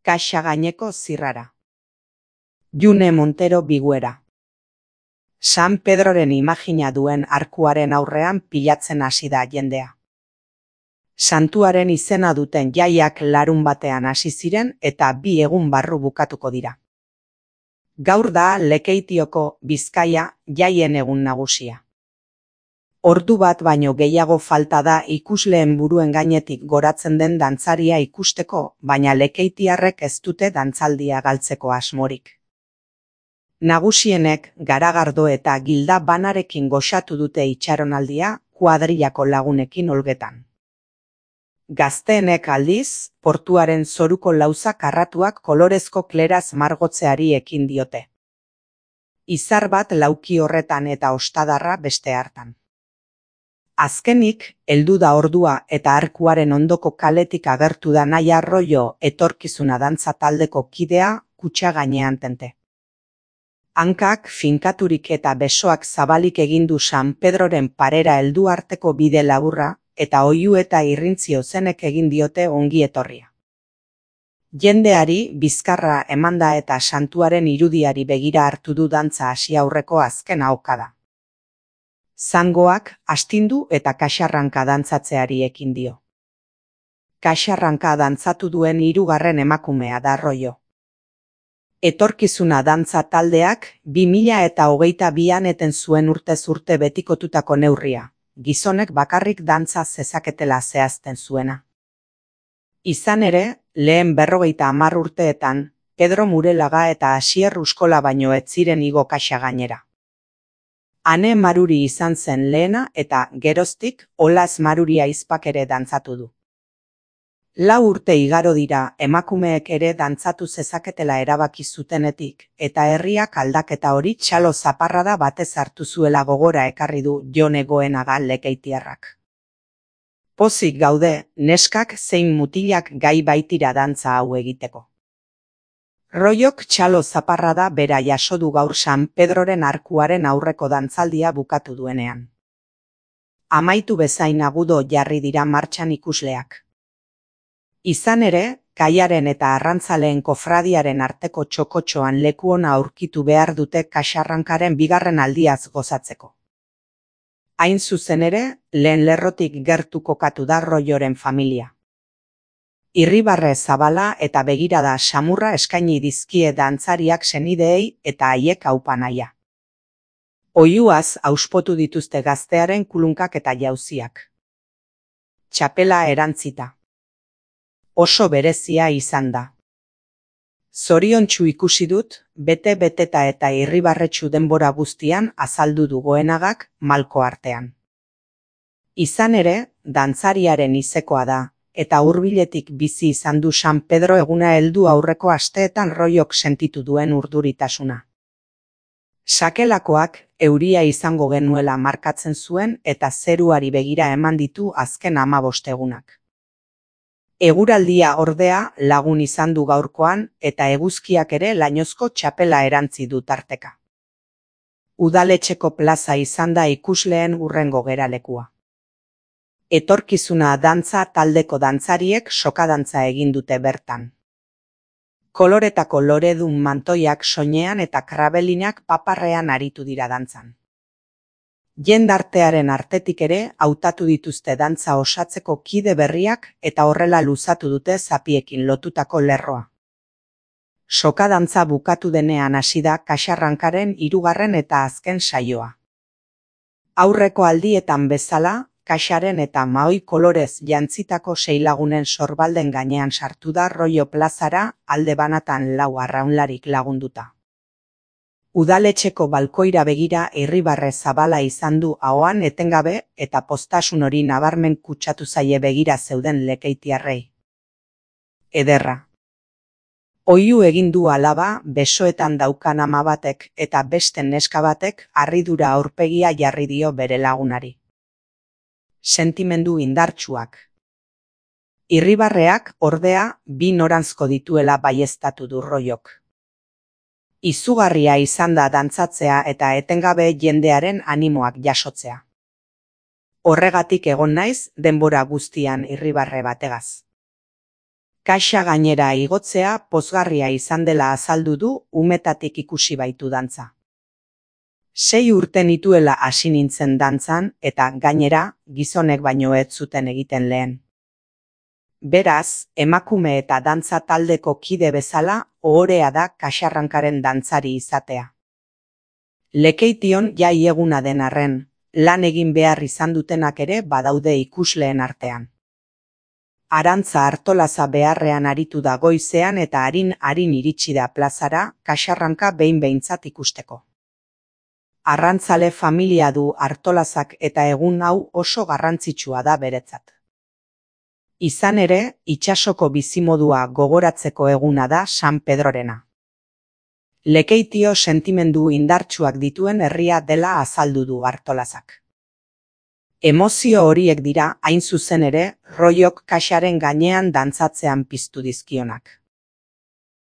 Kaxa gaineko zirrara. June Montero Biguera. San Pedroren imagina duen arkuaren aurrean pilatzen hasi da jendea. Santuaren izena duten jaiak larunbatean hasi ziren eta 2 egun barru bukatuko dira. Gaur da Lekeitioko Bizkaia jaien egun nagusia. Ordu bat baino gehiago falta da ikusleen buruen gainetik goratzen den dantzaria ikusteko, baina lekeitiarrek ez dute dantzaldia galtzeko asmorik. Nagusienek Garagardo eta Gilda banarekin goxatu dute itxaronaldia kuadrillako lagunekin olgetan. Gazteenek aldiz, portuaren zoruko lauza karratuak kolorezko kleraz margotzeari ekin diote. Izar bat lauki horretan eta ostadarra beste hartan. Azkenik, heldu da ordua eta arkuaren ondoko kaletik agertu da Naia Arroyo etorkizuna dantza taldeko kidea kutxa gainean tente. Hankak finkaturik eta besoak zabalik egindu San Pedroren parera heldu arteko bide laburra eta oihu eta irrintzio zenek egin diote ongi etorria. Jendeari bizkarra emanda eta santuaren irudiari begira hartu du dantza hasi aurreko azken ahokada. Zangoak astindu eta kaxarranka dantzatzeari ekin dio. Kaxarranka dantzatu duen 3. emakumea da Arroyo. Etorkizuna dantza taldeak 2022an eten zuen urtez urte betikotutako neurria, gizonek bakarrik dantza zezaketela zehazten zuena. Izan ere, lehen 50 urteetan, Pedro Murelaga eta Asier Uskola baino ez ziren igo kaxa gainera. Ane Maruri izan zen lehena eta geroztik Olas Maruri aizpak ere dantzatu du. 4 urte igaro dira emakumeek ere dantzatu zezaketela erabaki zutenetik eta herriak aldaketa hori txalo zaparrada batez hartu zuela gogora ekarri du Jone Goenaga lekeitiarrak. Pozik gaude, neskak zein mutilak gai baitira dantza hau egiteko. Royok txalo zaparrada bera jaso du gaur San Pedroren arkuaren aurreko dantzaldia bukatu duenean. Amaitu bezain agudo jarri dira martxan ikusleak. Izan ere, kaiaren eta arrantzaleen kofradiaren arteko txokotxoan leku ona aurkitu behar dute kaxarrankaren 2. aldiaz gozatzeko. Hain zuzen ere, lehen lerrotik gertu kokatu da Royoren familia. Irribarre zabala eta begirada samurra eskaini dizkie dantzariak senideei eta haiek aupa nahia. Oihuaz auspotu dituzte gaztearen kulunkak eta jauziak. Txapela erantzita. Oso berezia izan da. Zoriontsu ikusi dut, bete-beteta eta irribarretsu denbora guztian azaldu du Goenagak malko artean. Izan ere, dantzariaren izekoa da, eta hurbiletik bizi izan du San Pedro eguna heldu aurreko asteetan Royok sentitu duen urduritasuna. Sakelakoak euria izango genuela markatzen zuen eta zeruari begira eman ditu azken 15 egunak. Eguraldia ordea lagun izan du gaurkoan eta eguzkiak ere lainozko txapela erantzi du tarteka. Udaletxeko plaza izan da ikusleen hurrengo geralekua. Etorkizuna dantza taldeko dantzariek sokadantza egin dute bertan. Koloretako loredun mantoiak soinean eta krabelinak paparrean aritu dira dantzan. Jendartearen artetik ere hautatu dituzte dantza osatzeko kide berriak eta horrela luzatu dute zapiekin lotutako lerroa. Sokadantza bukatu denean hasi da kaxarrankaren 3. eta azken saioa. Aurreko aldietan bezala, kaxaren eta mahoi kolorez jantzitako 6 lagunen sorbalden gainean sartu da Royo plazara alde banatan 4 arraunlarik lagunduta. Udaletxeko balkoira begira irribarre zabala izan du ahoan etengabe eta postasun hori nabarmen kutsatu zaie begira zeuden lekeitiarrei. Ederra. Oihu egin du alaba besoetan daukan ama batek eta beste neska batek harridura aurpegia jarri dio bere lagunari. Sentimendu indartsuak. Irribarreak ordea 2 noranzko dituela baieztatu du Royok. Izugarria izan da dantzatzea eta etengabe jendearen animoak jasotzea. Horregatik egon naiz denbora guztian irribarre bategaz. Kaxa gainera igotzea pozgarria izan dela azaldu du umetatik ikusi baitu dantza. 6 urte nituela hasi nintzen dantzan eta gainera gizonek baino ez zuten egiten lehen. Beraz, emakume eta dantza taldeko kide bezala ohorea da kaxarrankaren dantzari izatea. Lekeition jai eguna den arren, lan egin behar izan dutenak ere badaude ikusleen artean. Arantza Artolaza beharrean aritu da goizean eta harin iritsi da plazara kaxarranka behintzat ikusteko. Arrantzale familia du Artolazak eta egun hau oso garrantzitsua da beretzat. Izan ere, itsasoko bizimodua gogoratzeko eguna da San Pedrorena. Lekeitio sentimendu indartsuak dituen herria dela azaldu du Artolazak. Emozio horiek dira hain zuzen ere Roiok kaxaren gainean dantzatzean piztu dizkionak.